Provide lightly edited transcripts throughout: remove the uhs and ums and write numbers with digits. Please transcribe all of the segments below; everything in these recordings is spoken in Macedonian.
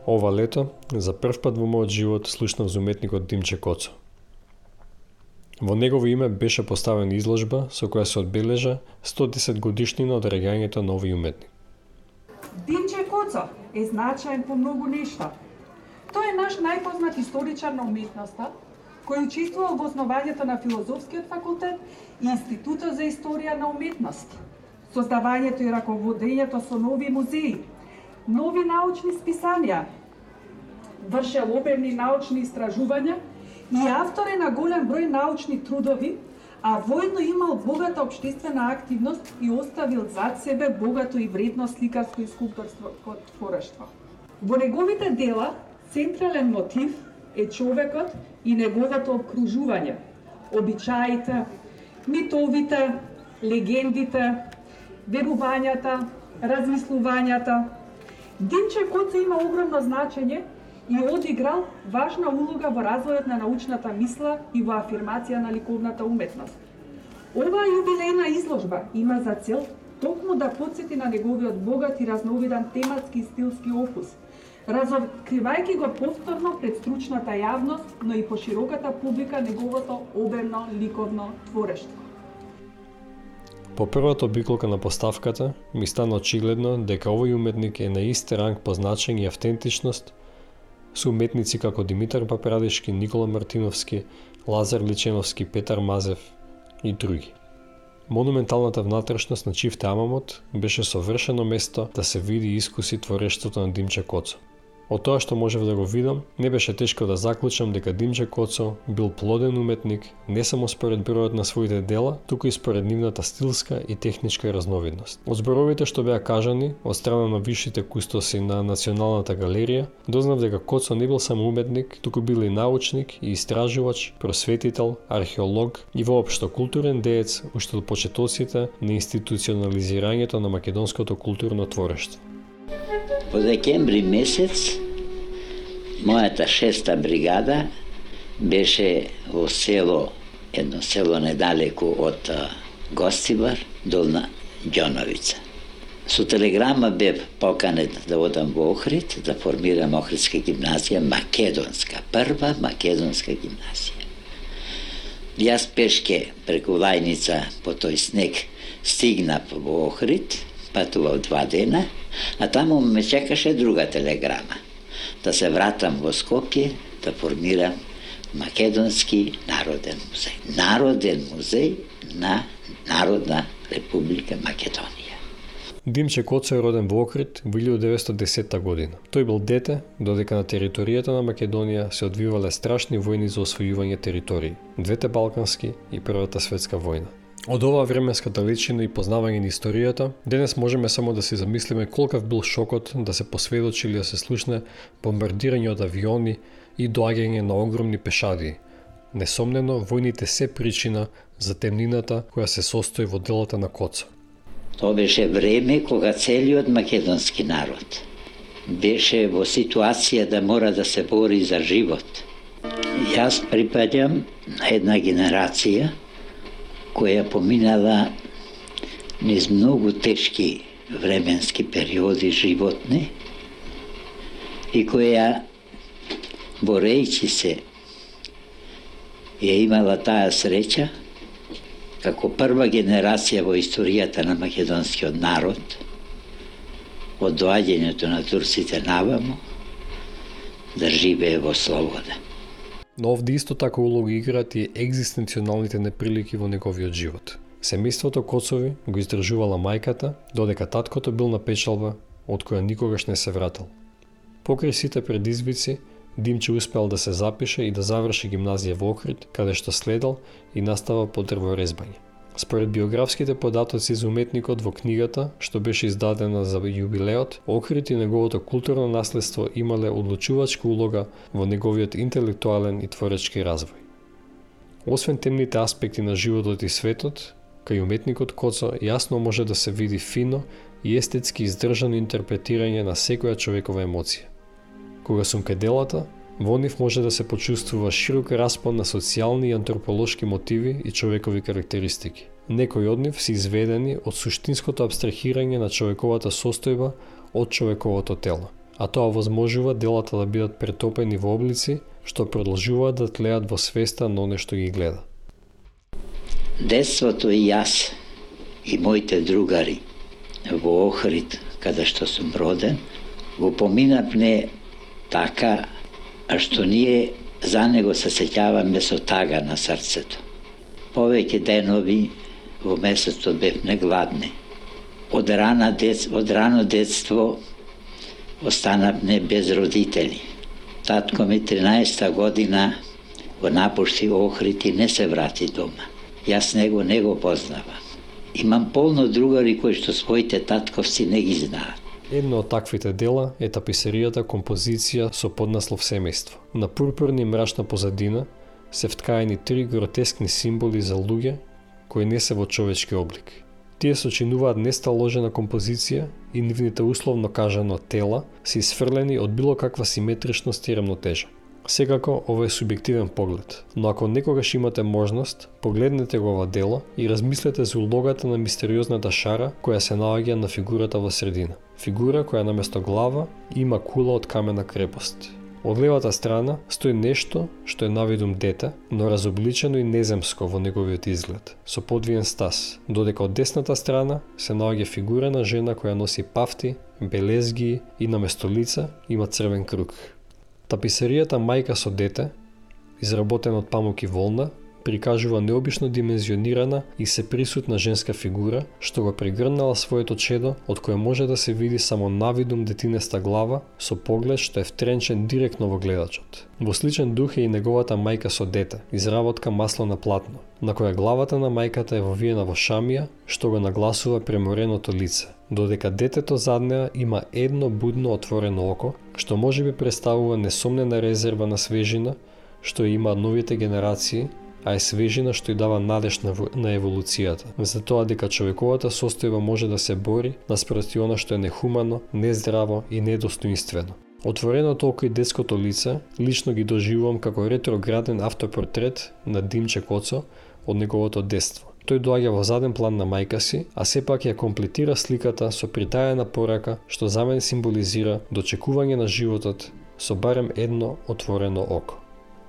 Ова лето, за прв пат во мојот живот, слушнав за уметникот Димче Коцо. Во негово име беше поставена изложба со која се одбележа 110 годишнина од раѓањето на овој уметник. Димче Коцо е значаен по многу нешта. Тој е наш најпознат историчар на уметноста, кој учествувал во основањето на Филозофскиот факултет и Институтот за историја на уметност, создавањето и раководењето со нови музеи, нови научни списанија, вршел обемни научни истражувања и автор е на голем број научни трудови, а воедно имал богата општествена активност и оставил зад себе богато и вредно сликарско и скулпторско творештво. Во неговите дела централен мотив е човекот и неговото окружување, обичаите, митовите, легендите, верувањата, размислувањата. Димче Коцо има огромно значење и одиграл важна улога во развојот на научната мисла и во афирмација на ликовната уметност. Оваа јубилејна изложба има за цел токму да потсети на неговиот богат и разновидан тематски и стилски опус, разоткривајќи го повторно пред стручната јавност, но и по широката публика неговото обемно ликовно творештво. По првата обиколка на поставката ми стана очигледно дека овој уметник е на ист ранг по значење и автентичност со уметници како Димитар Папрадешки, Никола Мартиновски, Лазар Личеновски, Петар Мазев и други. Монументалната внатрешност на Чифте Амамот беше совршено место да се види и искуси творештвото на Димче Коцо. Од тоа што можев да го видам, не беше тешко да заклучам дека Димче Коцо бил плоден уметник не само според бројот на своите дела, туку и според нивната стилска и техничка разновидност. Од зборовите што беа кажани од страна на висшите кустоси на Националната галерија, дознав дека Коцо не бил само уметник, туку бил и научник и истражувач, просветител, археолог и воопшто културен деец уште од почетоците на институционализирањето на македонското културно творештво. Во декември месец, мојата 6-та бригада беше во едно село недалеку од Гостивар, Долна Ѓоновица. Со телеграма бев поканет да одам во Охрид, да формирам Охридска гимназија, македонска, прва македонска гимназија. Јас пешке преку Лајница по тој снег стигнав во Охрид, патував 2 дена, а таму ме чекаше друга телеграма. Да се вратам во Скопје, да формирам Македонски народен музеј. Народен музеј на Народна република Македонија. Димче Коцо е роден во Охрид во 1910 година. Тој бил дете, додека на територијата на Македонија се одвивале страшни војни за освојување територии, двете балкански и Првата светска војна. Од оваа временска далечина и познавање на историјата, денес можеме само да си замислиме колкав бил шокот да се посведочи или да се слушне бомбардирање од авиони и доаѓање на огромни пешадии. Несомнено, војните се причина за темнината која се состои во делата на Коцо. Тоа беше време кога целиот македонски народ беше во ситуација да мора да се бори за живот. Јас припаѓам на една генерација која поминала низ многу тешки временски периоди животни и која, борејќи се, ја имала таа среќа, како прва генерација во историјата на македонскиот народ, од доаѓањето на турците наваму, да живее во слобода. Но овде исто така улога играат и екзистенционалните неприлики во неговиот живот. Семејството Коцови го издржувала мајката, додека таткото бил на печалба, од која никогаш не се вратил. Покрај сите предизвици, Димче успеал да се запише и да заврши гимназија во Охрид, каде што следел и настава по дрворезбање. Според биографските податоци за уметникот во книгата, што беше издадена за јубилеот, Охрид и неговото културно наследство имале одлучувачка улога во неговиот интелектуален и творечки развој. Освен темните аспекти на животот и светот, кај уметникот Коцо јасно може да се види фино и естетски издржано интерпретирање на секоја човекова емоција. Кога сум кај делата, во нив може да се почувствува широк распон на социјални и антрополошки мотиви и човекови карактеристики. Некои од нив се изведени од суштинското абстрахирање на човековата состојба од човековото тело. а тоа возможува делата да бидат претопени во облици што продолжуваат да тлеат во свеста на оне што ги гледа. Детството и јас и моите другари во Охрид, каде што сум роден, го поминавме така, а што ние за него се сеќаваме со тага на срцето. Повеќе денови во месецот бевме гладни. Од рано детство останавме без родители. Татко ми 13-та година го напушти Охрид и не се врати дома. Јас него не го познавам. Имам полно другари кои што своите татковци не ги знаат. Едно од таквите дела е таписеријата композиција со поднаслов Семејство. На пурпурна и мрачна позадина се вткаени 3 гротескни символи за луѓе кои не се во човечки облик. Тие сочинуваат несталожена композиција и нивните условно кажано тела се исфрлени од било каква симетричност и рамнотежа. Секако, ова е субјективен поглед, но ако некогаш имате можност, погледнете го ова дело и размислете за улогата на мистериозната шара која се наоѓа на фигурата во средина. Фигура која наместо глава има кула од камена крепост. Од левата страна стои нешто што е навидум дете, но разобличено и неземско во неговиот изглед, со подвиен стас, додека од десната страна се наоѓа фигура на жена која носи пафти, белезги и наместо лица има црвен круг. Таписеријата Мајка со дете, изработена од памук и волна, прикажува необично димензионирана и сеприсутна женска фигура, што го прегрнала своето чедо, од кое може да се види само навидум детинеста глава со поглед што е втренчен директно во гледачот. Во сличен дух е и неговата Мајка со дете, изработка масло на платно, на која главата на мајката е вовиена во шамија, што го нагласува премореното лице, додека детето зад неа има едно будно отворено око, што можеби представува несомнена резерва на свежина, што има новите генерации, а е свежина што ја дава надеж на еволуцијата, за тоа дека човековата состојба може да се бори наспроти она што е нехумано, нездраво и недостоинствено. Отвореното око и детското лице лично ги доживувам како ретрограден автопортрет на Димче Коцо од неговото детство. Тој доаѓа во заден план на мајка си, а сепак ја комплетира сликата со притаена порака што за мене символизира дочекување на животот со барем едно отворено око.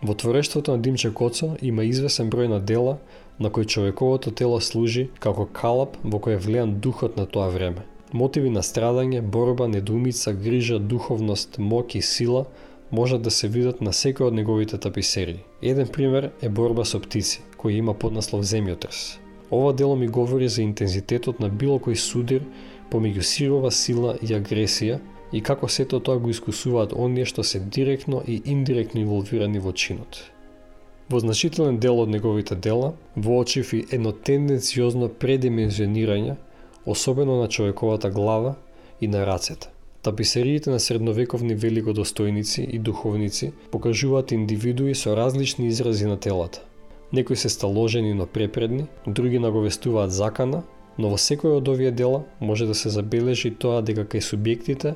Во творештвото на Димче Коцо има извесен број на дела на кои човековото тело служи како калап во кој е влеан духот на тоа време. Мотиви на страдање, борба, недоумица, грижа, духовност, моќ и сила можат да се видат на секој од неговите таписерии. Еден пример е Борба со птици, кој има поднаслов Земјотрес. Ова дело ми говори за интензитетот на било кој судир помеѓу сирова сила и агресија и како сето тоа го искусуваат оние што се директно и индиректно инволвирани во чинот. Во значителен дел од неговите дела воочив и едно тенденциозно предимензионирање, особено на човековата глава и на рацете. Таписериите на средновековни великодостојници и духовници покажуваат индивидуи со различни изрази на телата. Некои се сталожени но препредни, други наговестуваат закана, но во секој од овие дела може да се забележи тоа дека кај субјектите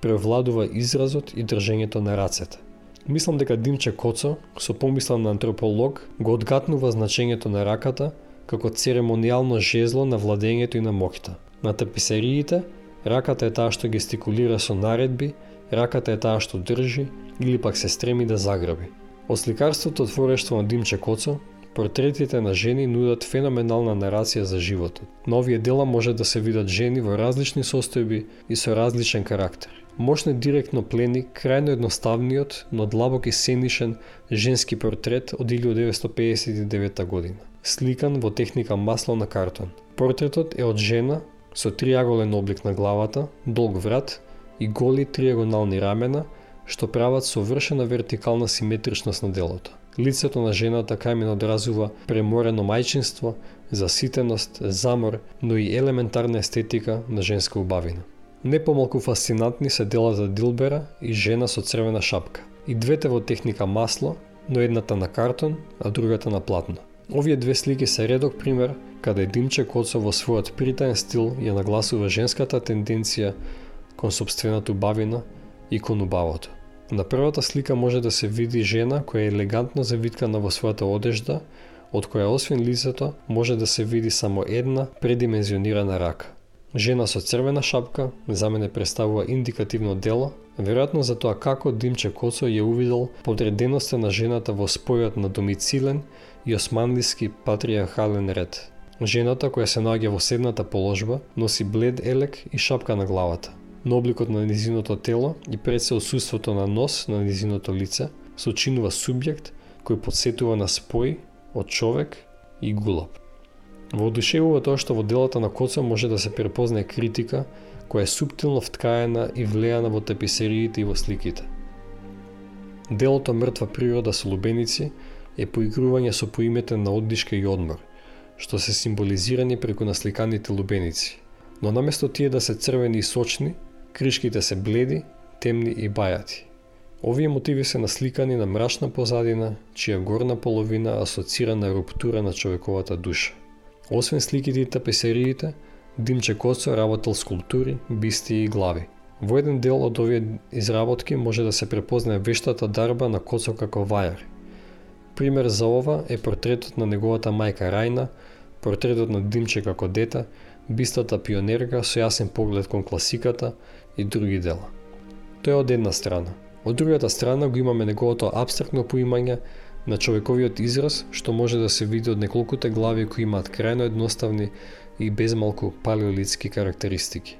превладува изразот и држењето на рацете. Мислам дека Димче Коцо, со помисла на антрополог, го одгатнува значењето на раката како церемонијално жезло на владењето и на моќта. На таписериите, раката е таа што гестикулира со наредби, раката е таа што држи или пак се стреми да заграби. Од сликарството творештво на Димче Коцо, портретите на жени нудат феноменална нарација за животот. На овие дела може да се видат жени во различни состојби и со различен карактер. Мощно директно плени крајно едноставниот, но длабок и сценичен женски портрет од 1959 година, сликан во техника масло на картон. Портретот е од жена со триаголен облик на главата, долг врат и голи триагонални рамена, што прават совршена вертикална симетричност на делото. Лицето на жената кај одразува преморено мајчинство, заситеност, замор, но и елементарна естетика на женска убавина. Не помалку фасцинантни се делата Дилбера и жена со црвена шапка. И двете во техника масло, но едната на картон, а другата на платно. Овие две слики се редок пример каде Димче Коцо во својот притаен стил ја нагласува женската тенденција кон сопствената убавина и кон убавото. На првата слика може да се види жена која е елегантно завиткана во својата одежда, од која освен лицето може да се види само една предимензионирана рака. Жена со црвена шапка за мене представува индикативно дело, веројатно за тоа како Димче Коцо ја увидел подреденоста на жената во спојот на домицилен и османлиски патриархален ред. Жената која се наоѓа во седната положба носи блед елек и шапка на главата. На обликот на низиното тело и пред се отсуството на нос на низиното лице сочинува субјект кој потсетува на спој од човек и гулаб. Воодушевува тоа што во делата на Коцо може да се препознае критика која е суптилно вткаена и влејана во таписериите и во сликите. Делото Мртва природа со лубеници е поигрување со поимите на оддишка и одмор, што се символизирани преку насликаните лубеници. Но наместо тие да се црвени и сочни, кришките се бледи, темни и бајати. Овие мотиви се насликани на мрачна позадина, чија горна половина асоцира на руптура на човековата душа. Освен сликите и тапесериите, Димче Коцо работел скулптури, бисти и глави. Во еден дел од овие изработки може да се препознае вештата дарба на Коцо како вајар. Пример за ова е портретот на неговата мајка Рајна, портретот на Димче како дете, бистата пионерка со јасен поглед кон класиката и други дела. Тоа е од една страна. Од другата страна го имаме неговото апстрактно поимање на човековиот израз, што може да се види од неколкуте глави кои имаат крајно едноставни и безмалку палеолитски карактеристики.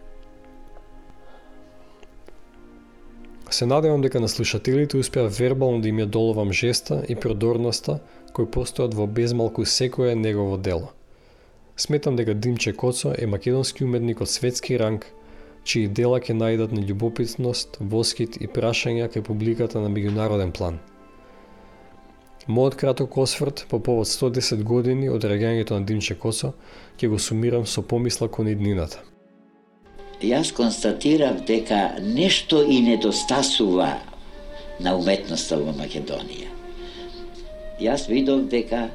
Се надевам дека на слушателите успеа вербално да им ја доловам жеста и продорноста кои постојат во безмалку секое негово дело. Сметам дека Димче Коцо е македонски уметник од светски ранг, чии дела ќе најдат на љубопитност, воскит и прашања кај публиката на меѓународен план. Мојот краток осврт по повод 110 години од реаѓањето на Димче Коцо ќе го сумирам со помисла кон иднината. Јас констатирав дека нешто и недостасува на уметноста во Македонија. Јас видов дека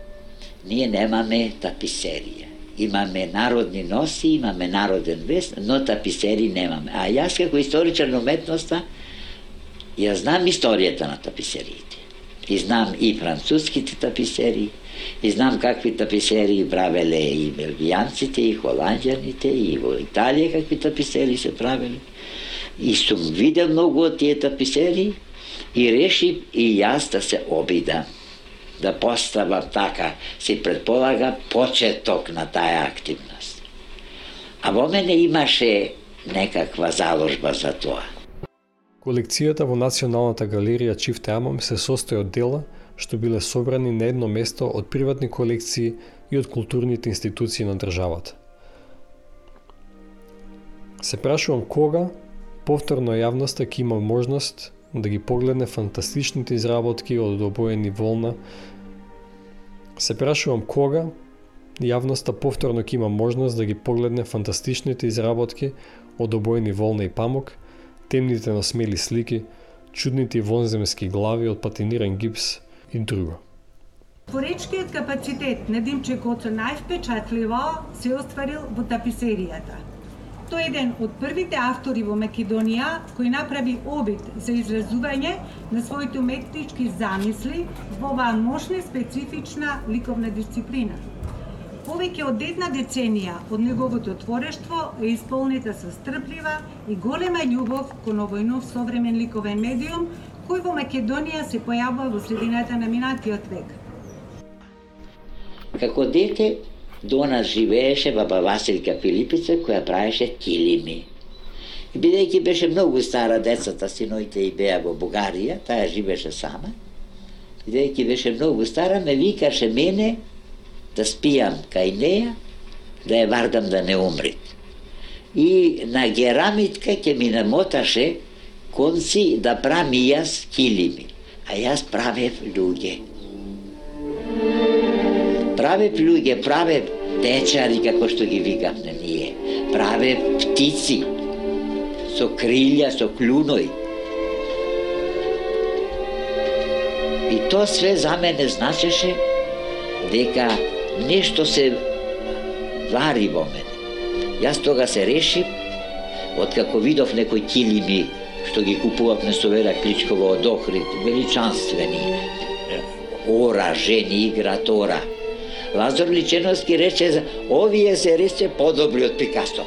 ние немаме таписерија. Имаме народни носи, имаме народен вест, но таписери немаме. А јас како историчар на уметноста, ја знам историјата на таписериите. И знам и француските таписери, и знам какви таписери правеле и белгијанците, и холанѓаните, и во Италија какви таписери се правеле. И сум видел многу од тие таписери и решив и јас да се обидам, да поставам така, се предполага почеток на таа активност. А во мене имаше некаква заложба за тоа. Колекцијата во Националната галерија Чифте Амам се состои од дела што биле собрани на едно место од приватни колекции и од културните институции на државата. Се прашувам кога повторно јавноста ќе има можност да ги погледне фантастичните изработки од обоени волна. Се прашувам кога јавноста повторно ќе има можност да ги погледне фантастичните изработки од обоени волна и памук, темните на смели слики, чудните вонземски глави од патиниран гипс и друго. Творечкиот капацитет на Димче Коцо највпечатливо се остварил во таписеријата. Тој е еден од првите автори во Македонија кој направи обид за изразување на своите уметнички замисли во оваа мощна и специфична ликовна дисциплина. Повеќе од една деценија од неговото творештво е исполнета со стрплива и голема љубов кон овој нов современ ликовен медиум кој во Македонија се појавува во средината на минатиот век. Како дете до нас живееше баба Василка Филипица која правеше килими. И бидејќи беше многу стара, децата, синоите и беа во Бугарија, таа живееше сама. Бидејќи беше многу стара, ме викаше мене да спијам кај неја, да ја вардам да не умри. И на герамитка ќе ми намоташе конци да правам и јас килими. А јас правев луѓе. Правев течари, како што ги викавме ние. Правев птици, со крилја, со клуној. И тоа све за мене значеше дека нешто се вари во мене. Јас тога се решив, откако видов некои килими што ги купувавме со Вера Кличкова од Охрид, величанствени, ора, жени играат ора. Лазар Личеновски рече, овие се рече подобри од Пикасо.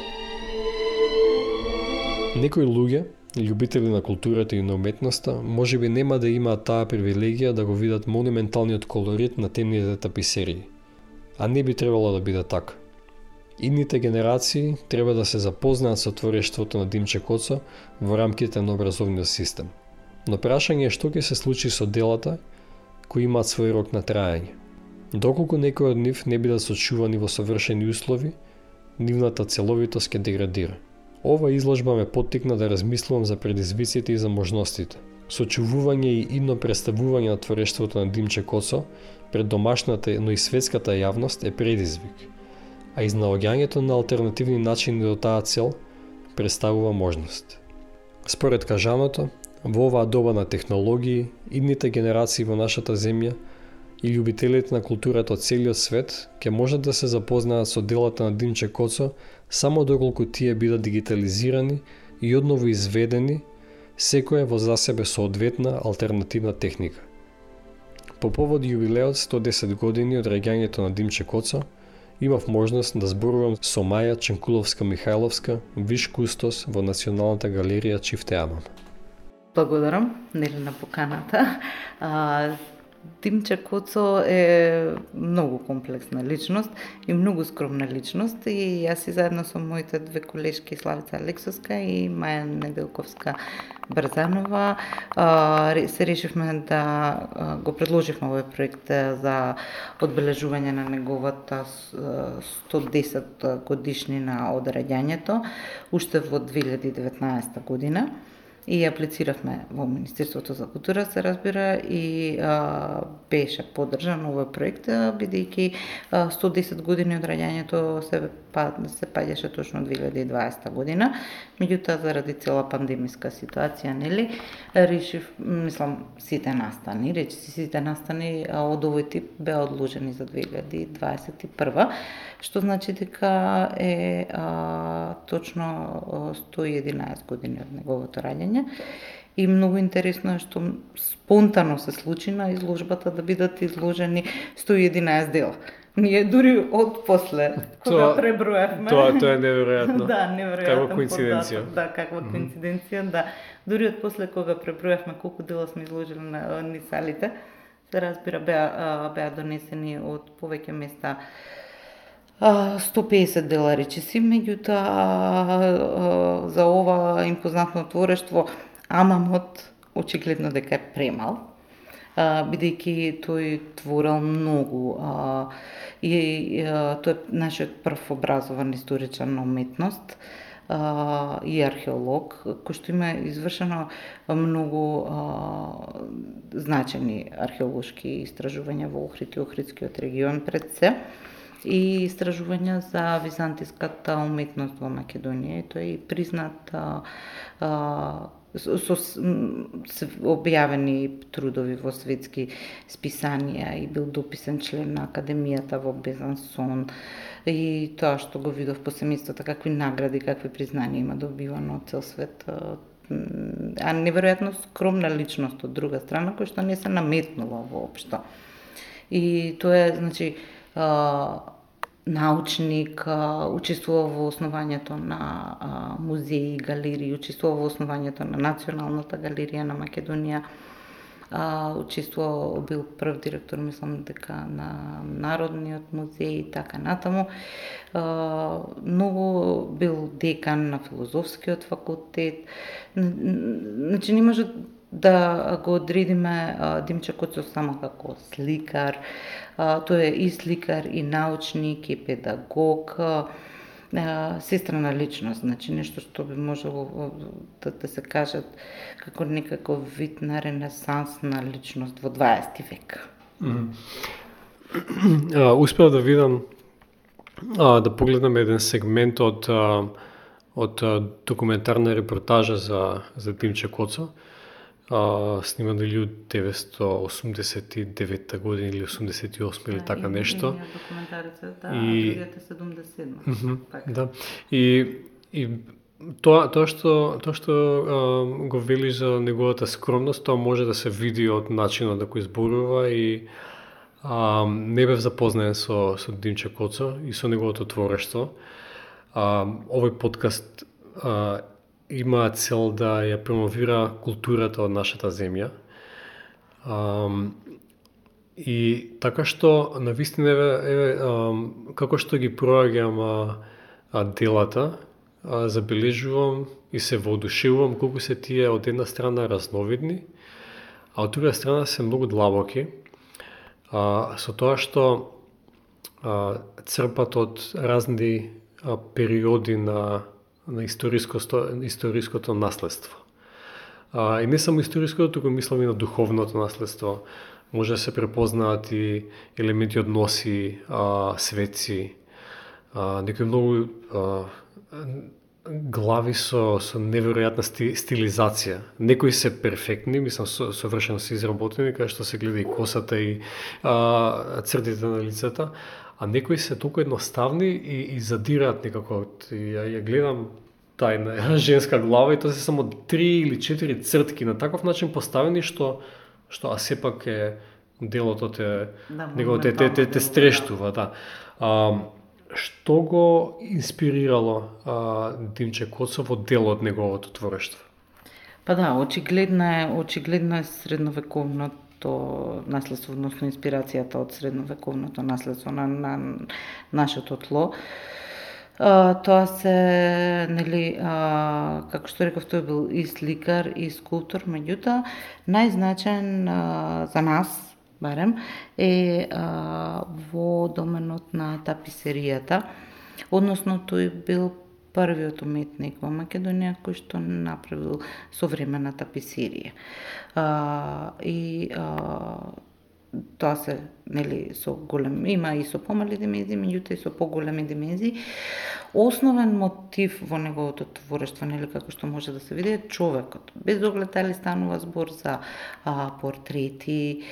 Некои луѓе љубители на културата и на уметноста, можеби нема да имаат таа привилегија да го видат монументалниот колорит на темните таписерии. А не би требало да биде така. Идните генерации треба да се запознаат со творештвото на Димче Коцо во рамките на образовниот систем. Но прашање е што ќе се случи со делата кои имаат свој рок на траење. Доколку некои од нив не бидат сочувани во совршени услови, нивната целовитост ќе деградира. Ова изложба ме поттикна да размислувам за предизвиците и за можностите. Сочувување и идно представување на творештвото на Димче Коцо пред домашната, но и светската јавност е предизвик, а изнаоѓањето на алтернативни начини до таа цел представува можност. Според кажаното, во оваа доба на технологии, идните генерации во нашата земја и љубителите на културата од целиот свет ќе можат да се запознаат со делата на Димче Коцо само доколку тие бидат дигитализирани и одново изведени, секоја во за себе соодветна алтернативна техника. По повод јубилеот 110 години од раѓањето на Димче Коцо, имав можност да зборувам со Маја Ченкуловска-Михајловска, виш кустос во Националната галерија Чифте Амам. Благодарам, нели, на поканата. Димче Коцо е многу комплексна личност и многу скромна личност и јас и заедно со моите две колешки Славица Алексовска и Маја Неделковска Брзанова се решивме да го предложивме овој проект за одбележување на неговата 110 годишнина од раѓањето уште во 2019 година. И аплициравме во Министерството за култура, се разбира, и беше поддржан овој проект, бидејќи 110 години од раѓањето се паѓаше точно 2020 година. Меѓутоа, заради цела пандемиска ситуација, нели, решив, сите настани од овој тип беа одложени за 2021, што значи дека е точно 111 години од неговото раѓање. И многу интересно е што спонтано се случи на изложбата да бидат изложени 111 дела. Ние дури од после, кога преброевме... Тоа е неверојатно. Да, неверојатно. Каква коинциденција. Да, каква коинциденција, да. Дури од после кога преброевме колку дела сме изложили на салите, се разбира, беа донесени од повеќе места 150 дела речиси, меѓутоа за ова импозантно творештво Амамот очигледно дека е премал, бидејќи тој творел многу и тој е нашиот прв образован историчар на уметност и археолог, кој што има извршено многу значени археолошки истражувања во Охрид и Охридскиот регион пред се, и истражувања за византиската уметност во Македонија. Тој е признат со објавени трудови во светски списанија и бил дописен член на Академијата во Безансон и тоа што го видов по семејството, какви награди, какви признанија има добивано од цел свет. А неверојатно скромна личност од друга страна, која што не се наметнува воопшто. И тоа е, значи, научник, учествува во основањето на музеи и галерии, учествува во основањето на Националната галерија на Македонија, учествува, бил прв директор, мислам дека на Народниот музеј и така натаму. Многу бил декан на Филозофскиот факултет. Значи не може да го одредиме Димче Коцо само како сликар. Тој е и сликар, и научник, и педагог, сестрана личност, значи нешто што би можело да се кажат како некаков вид на ренесансна личност во 20 век. Успеав да видам, да погледнам еден сегмент од документарна репортажа за Димче Коцо, сниман 1989 година или 88 или така нешто. Документарица, да, 1977. Да. И тоа што го вели за неговата скромност, тоа може да се види од начинот на кој зборува и не бев запознаен со Димче Коцо и со неговото творештво. Овој подкаст има цел да ја промовира културата од нашата земја. И така што навистина како што ги проаѓам делата, забележувам и се воодушевувам колку се тие од една страна разновидни, а од друга страна се многу длабоки, со тоа што црпат од разни периоди на историското наследство. И не само историското, туку мислам и на духовното наследство. Може да се препознаат и елементи од носи, светци, некои многу глави со неверојатна стилизација. Некои се перфектни, мислам совршено се изработени, каде што се гледа и косата и цртите на лицата, а некои се толку едноставни и задираат некако. Ја гледам тајна женска глава и тоа се само 3 или 4 цртки на таков начин поставени што а сепак е делото те стрештува, да. Што го инспирирало Димче Коцов во дел од неговото творештво? Па да, очигледно е средновековното наследство, односно инспирацијата од средновековното наследство на нашето тло. Тоа се, нели, како што реков, тој бил и сликар, и скулптор, меѓутоа, најзначаен за нас, барем, е во доменот на таписеријата, односно тој бил првиот уметник во Македонија кој што направил современа таписерија. Тоа се, нели, со голем, има и со помали димензии, меѓутоа и со поголеми димензии. Основен мотив во неговото творештво, нели, како што може да се види, е човекот. Без оглед дали станува збор за портрети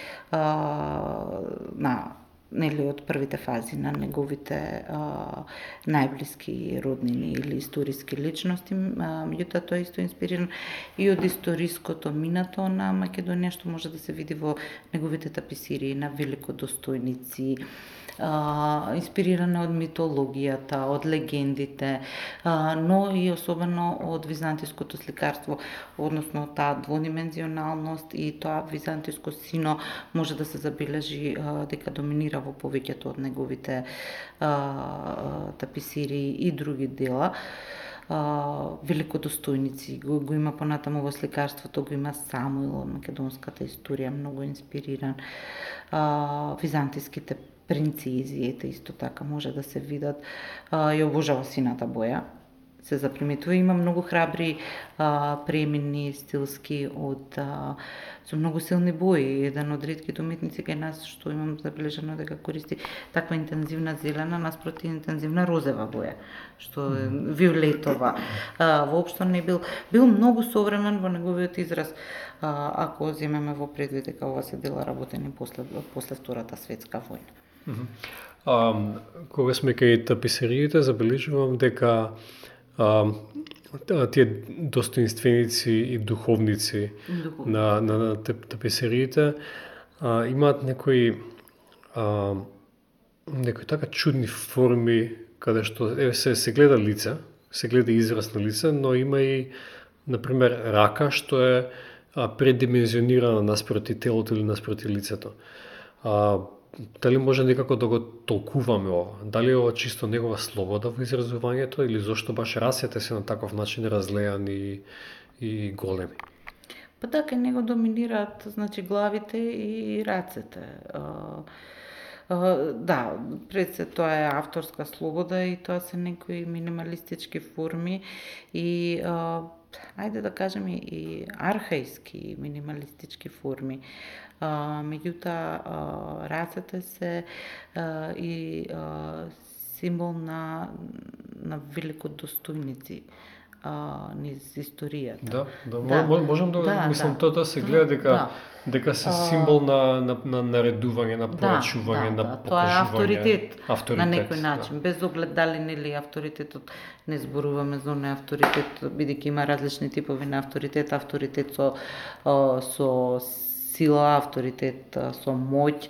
нели, од првите фази на неговите најблиски роднини или историски личности, меѓутоа тоа исто инспириран и од историското минато на Македонија, што може да се види во неговите таписирии на великодостојници, инспириране од митологијата, од легендите, но и особено од византиското сликарство, односно таа дводимензионалност и тоа византиско сино може да се забележи дека доминира во повеќето од неговите таписирии и други дела. Великодостојници го има понатаму во сликарството, го има Самуил од македонската историја, многу инспириран. Византиските принцези, исто така може да се видат. Ја обожава сината боја, се заприметува. Има многу храбри премини стилски со многу силни бои. Еден од ретките уметници кај нас што имам забележано дека користи таква интензивна зелена наспроти интензивна розева боја, што е виолетова. Воопшто не бил многу современ во неговиот израз, ако земеме во предвид дека ова се дела работени после Втората светска војна. Кога сме кај таписериите, забележувам дека тие достоинственици и духовници на таписериите имаат некои така чудни форми, каде што се гледа лице, се гледа израз на лице, но има и, например, рака што е предимензионирана наспроти телото или наспроти лицето. Дали може некако да го толкуваме ова? Дали е ова чисто негова слобода во изразувањето или зошто баш расите се на таков начин разлеани и големи? Па така, него доминираат, значи, главите и рацете. Да, пред се тоа е авторска слобода и тоа се некои минималистички форми и ајде да кажеме и архаиски минималистички форми. Меѓутоа рацете се и символ на великодостојници низ историјата. Да, можам да мислам тоа се гледа дека се символ на наредување, на порачување, на покажување. Тоа е авторитет на некој начин, без оглед дали нели авторитетот, не зборуваме за оној авторитет, бидејќи има различни типови на авторитет, авторитет со сила, авторитет со моќ,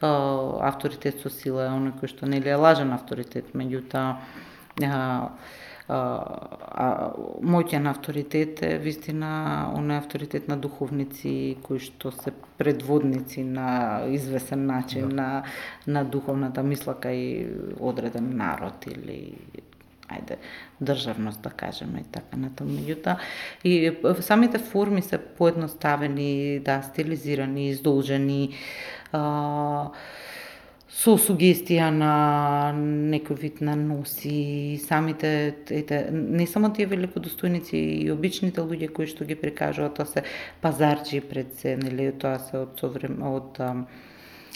авторитет со сила е оној кој што нели е лажен авторитет, меѓутоа моќен авторитет е вистина оној авторитет на духовници кои што се предводници на извесен начин на духовната мисла кај одреден народ или државност, да кажеме, и така натаму. Меѓутоа, и самите форми се поедноставени, стилизирани, издолжени, со сугестија на некој вид на носи, самите, не само тие великодостојници и обичните луѓе кои што ги прикажуваат, тоа се пазарчи пред се, нели, тоа се од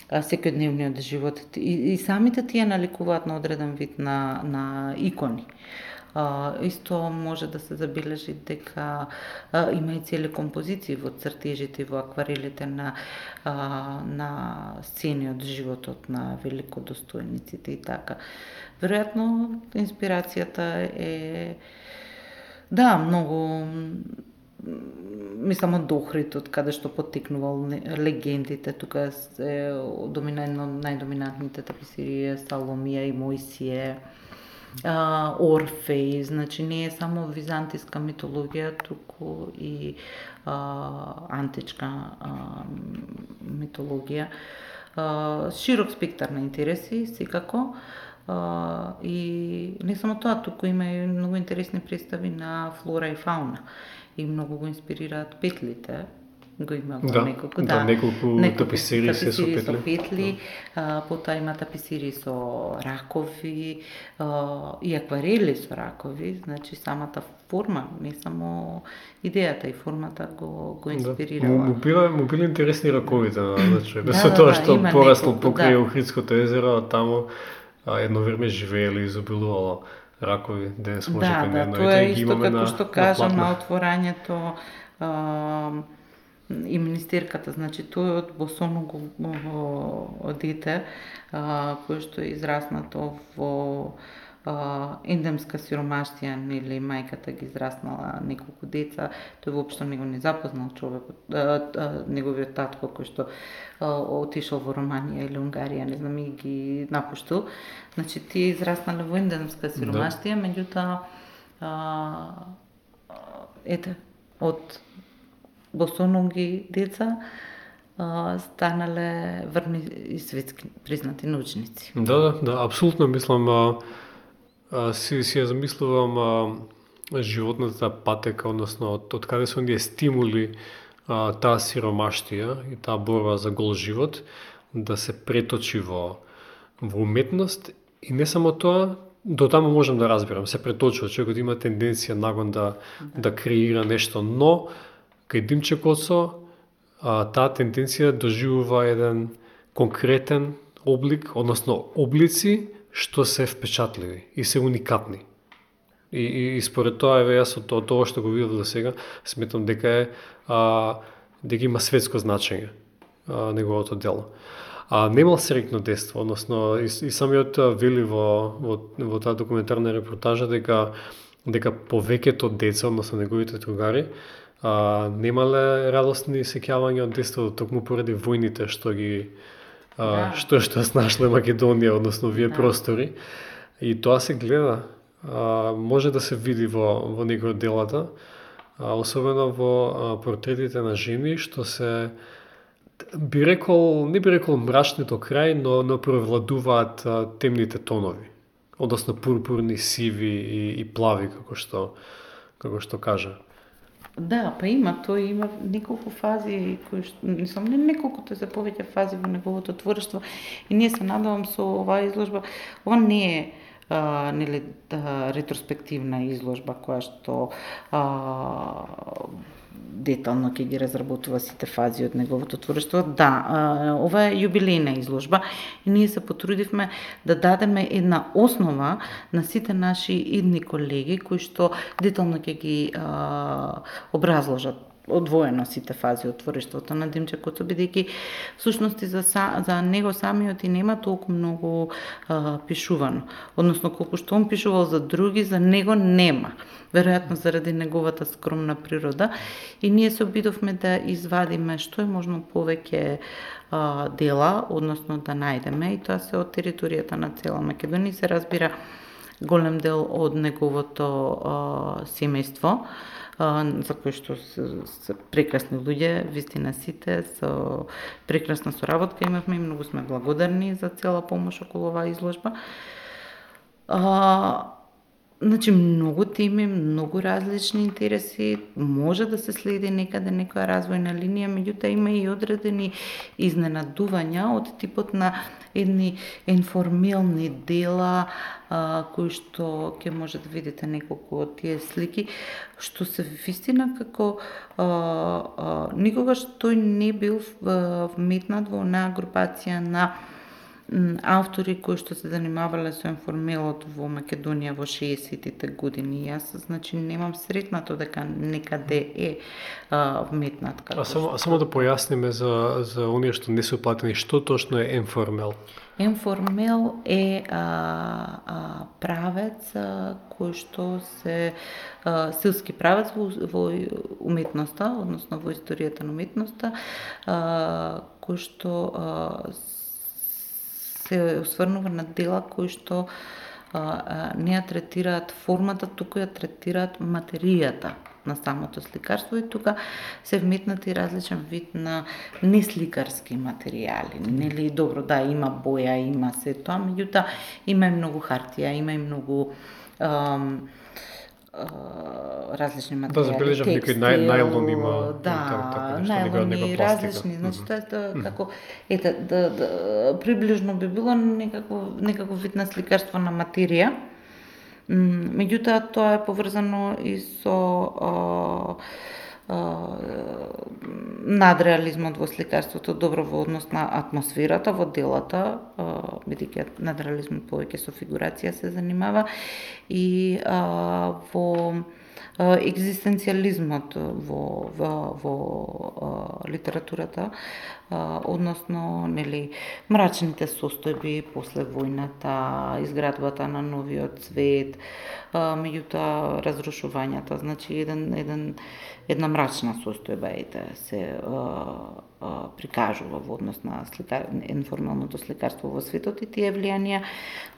секојдневниот живот. И самите тие наликуваат на одреден вид на икони. Исто може да се забележи дека има и цели композиции во цртежите и во акварелите на сцени од животот на великодостојниците и така. Веројатно инспирацијата е многу, мислам, од Охрид, каде што поттикнувал легендите. Тука е најдоминантните таписирии Саломија и Мојсие, Орфеј, значи не е само византиска митологија, туку и античка митологија. Широк спектар на интереси, секако. И не само тоа, туку има и многу интересни представи на флора и фауна. И многу го инспирираат петлите. Го има неколку таписирии со петли. Потоа има таписирии со ракови и акварели со ракови. Значи самата форма, не само идејата и формата го инспирирала. Му били интересни раковите, значи, со тоа што порасло покрај Охридското езеро, таму едно време живееле и изобилувало ракови, денес може примерно тоа е исто како што кажа на отворањето и министерката, значи тој од босоного дете кој што е израснато во ендемска сиромаштија, нели мајката ги израснала неколку деца, тој воопшто не го не запознал човекот, неговиот татко кој што отишол во Романија или Унгарија, не знам, и ги напуштил. Значи тие израснале во ендемска сиромаштија, меѓутоа од босоноги деца станале врни и светски признати научници. Да, апсолутно мислам, си ја замислувам животната патека, односно од каде се оние стимули таа сиромаштија и таа борба за гол живот да се преточи во уметност. И не само тоа, до таму можам да разбирам, се преточува, човекот има тенденција нагон да креира нешто, но кај Димче Коцо таа тенденција доживува еден конкретен облик, односно облици што се впечатливи и се уникатни. И според тоа, јас од тоа што го видов до сега, сметам дека има светско значење неговото дело. Немал среќно детство, односно и самиот вели во таа документарна репортажа дека повеќето деца, односно неговите другари, немале радосни сеќавања од детството, токму поради војните што ги што снашле Македонија, односно овие простори. И тоа се гледа, може да се види во некои од делата, особено во портретите на жени, што се не би рекол мрачни до крај, но превладуваат темните тонови, односно пурпурни, сиви и плави, како што кажа. Да, има неколку фази кои што не неколку, тоа се повеќе фази во неговото творство, и ние се надевам со оваа изложба. Ова не е ретроспективна изложба која што детално ќе ги разработува сите фази од неговото творство. Да, ова е јубилејна изложба и ние се потрудивме да дадеме една основа на сите наши идни колеги кои што детално ќе ги образложат одвоено сите фази од творештвото на Димче Коцо, бидејќи всушност за него самиот и нема толку многу пишувано. Односно, колку што он пишувал за други, за него нема. Веројатно заради неговата скромна природа. И ние се обидовме да извадиме што е можно повеќе дела, односно да најдеме, и тоа се од територијата на цела Македонија. Се разбира, голем дел од неговото семејство, за кои што се прекрасни луѓе, вистина сите, со прекрасна соработка имавме и многу сме благодарни за цела помош околу оваа изложба. Значи, многу теми, многу различни интереси, може да се следи некаде некоја развојна линија, меѓутоа има и одредени изненадувања од типот на едни информелни дела, кои што ќе може да видите неколку од тие слики, што се вистина како никогаш тој не бил вметнат во онаа групација на автори кои што се занимавале со информелот во Македонија во 60-тите години. Јас, значи, немам сретнато дека некаде е вметнат како. Само да појасниме за оние што не се уплатени, што точно е информел? Информел е правец кој што се силски правец во уметноста, односно во историјата на уметноста, кој што се осврнува на дела кои што не ја третираат формата, туку ја третираат материјата на самото сликарство и тука се вметнати различен вид на несликарски материјали. Нели, добро, да, има боја, има се тоа, меѓутоа има и многу хартија, има и многу различни материјали. Да, забележам некој најлон има. Да, најлони различни. Значи, тоа е како, приближно би било некако вид на сликарство на материја. Меѓутоа, тоа е поврзано и со надреализмот во сликарството, добро во однос на атмосферата во делата, бидејќи надреализмот повеќе со фигурација се занимава, и во екзистенцијализмот во литературата, односно, нели, мрачните состојби после војната, изградбата на новиот свет, меѓутоа разрушувањата, значи една мрачна состојба се прикажува во однос на информалното сликарство во светот, и тие влијанија,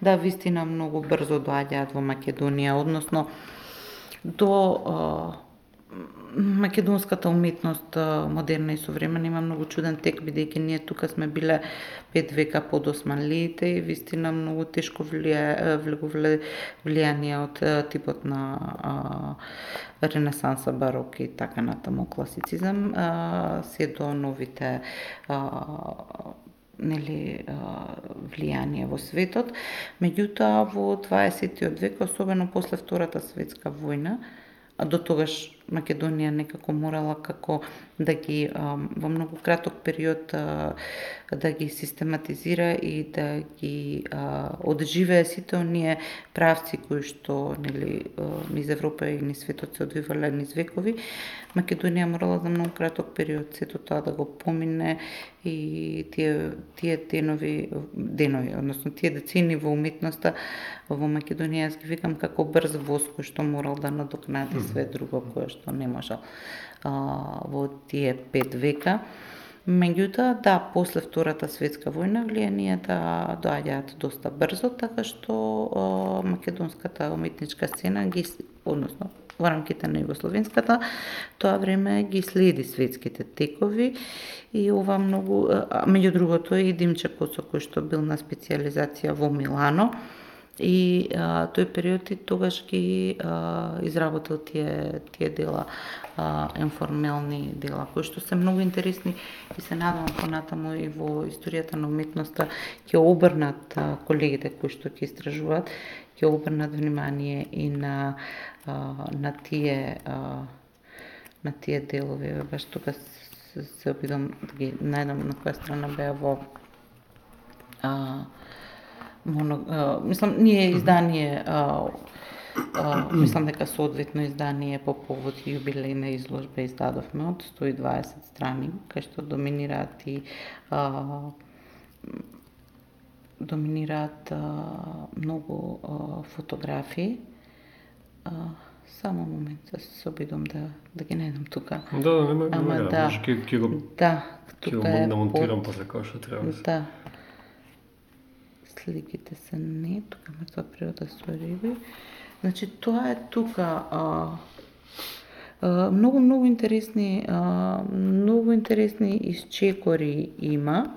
да, вистина многу брзо доаѓаат во Македонија, односно до македонската уметност, модерна и современа, има многу чуден тек, бидејќи ние тука сме биле 5 века под османлиите и вистина многу тешко влијание од типот на ренесанса, барок и така натаму, класицизам, се до новите влијание во светот. Меѓутоа, во 20-тиот век, особено после Втората светска војна, до тогаш Македонија некако морала како да ги во многу краток период да ги систематизира и да ги одживее сите оние правци кои што, нели, низ Европа и низ светот се одвивале низ векови. Македонија морала за многу краток период сето тоа да го помине и тие денови, односно тие децени во уметноста во Македонија, јас ги викам како брз воз кој што морал да надокнади све друго кое што не можел во тие 5 века. Меѓутоа, да, после Втората светска војна влијанието доаѓаат доста брзо, така што македонската уметничка сцена односно во рамките на југословенската, тоа време ги следи светските текови и ова многу, меѓу другото и Димче Коцо, кој што бил на специјализација во Милано, и тој период и тогаш ги изработил тие дела, информелни дела, кои што се многу интересни и се надевам понатаму и во историјата на уметноста ќе обрнат колегите кои што ќе истражуваат, ќе обрнат внимание и на тие делови. Баш тука се обидам да ги најдам на која страна беа во мислам, ние издание, мислам дека соодветно издание по повод јубилејна изложба издадовме од 120 страни, кај што доминираат и многу фотографии. Само момент, се обидам да ги најдам тука. Да, нема, ќе го тука намонтирам после како што треба. Да. сликите се не, тука мртва природа со риби. Значи тоа е тука многу интересни исчекори има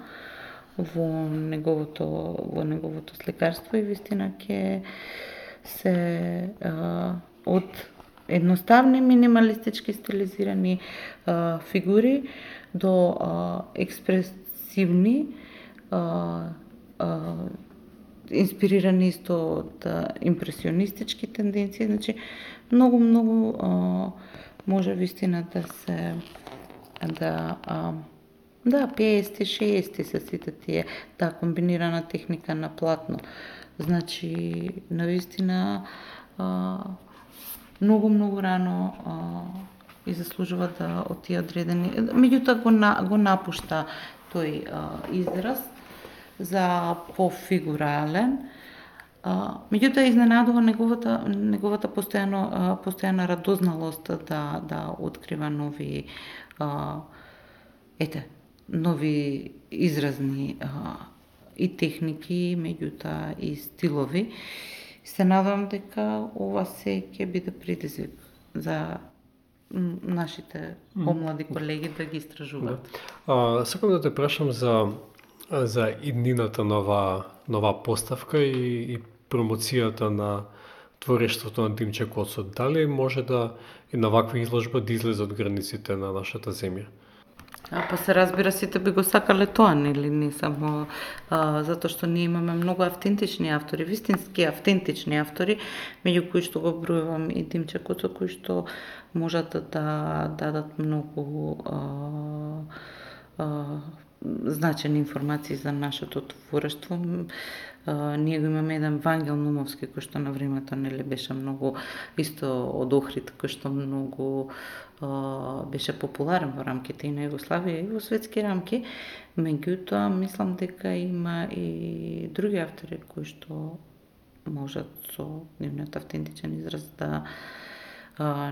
во неговото сликарство и вистина ќе се од едноставни минималистички стилизирани фигури до експресивни инспирирани исто од импресионистички тенденции, значи многу може вистина да се да 50-60 се сите тие таа комбинирана техника на платно. Значи навистина многу рано и заслужува да од тие одредени. Меѓутоа го напушта тој израз за пофигурален. Меѓутоа изненадува неговата постојана радозналост да открива нови нови изразни и техники, меѓутоа и стилови. Се надам дека ова се ќе биде предизвик за нашите помлади колеги да ги истражуваат. Сакам да те прашам за иднината нова поставка и промоцијата на творештвото на Димче Коцо. Дали може да и на ваква изложба да излезе од границите на нашата земја? Па се разбира, сите би го сакале тоа, нели, не само затоа што ние имаме многу автентични автори, вистински автентични автори, меѓу кои што го бројувам и Димче Коцо, кои што можат да дадат многу значени информации за нашето творештво. Ние го имаме еден Вангел Нумовски, кој што на времето нели беше многу исто од Охрид, кој што многу беше популарен во рамките и на Југославија и во светски рамки. Меѓутоа, мислам дека има и други автори кои што можат со нивниот автентичен израз да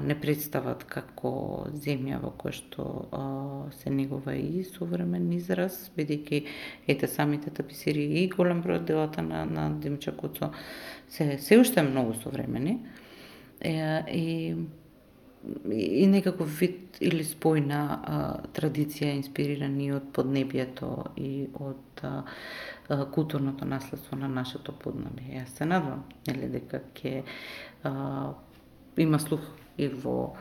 не представат како земја во која што се негува и современ израз, бидејќи самите таписирии и голем број од делата на Димче Коцо се уште многу современи и некаков вид или спојна традиција инспирирани од поднебието и од културното наследство на нашето поднебие. Јас се надвам дека ќе има слух и во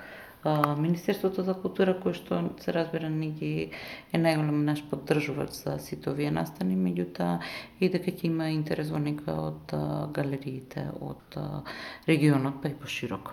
Министерството за култура, кој што се разбира е најголем наш поддржувач за сите овие настани, меѓутоа и дека ќе има интерес во нека од галериите од регионот, па и пошироко.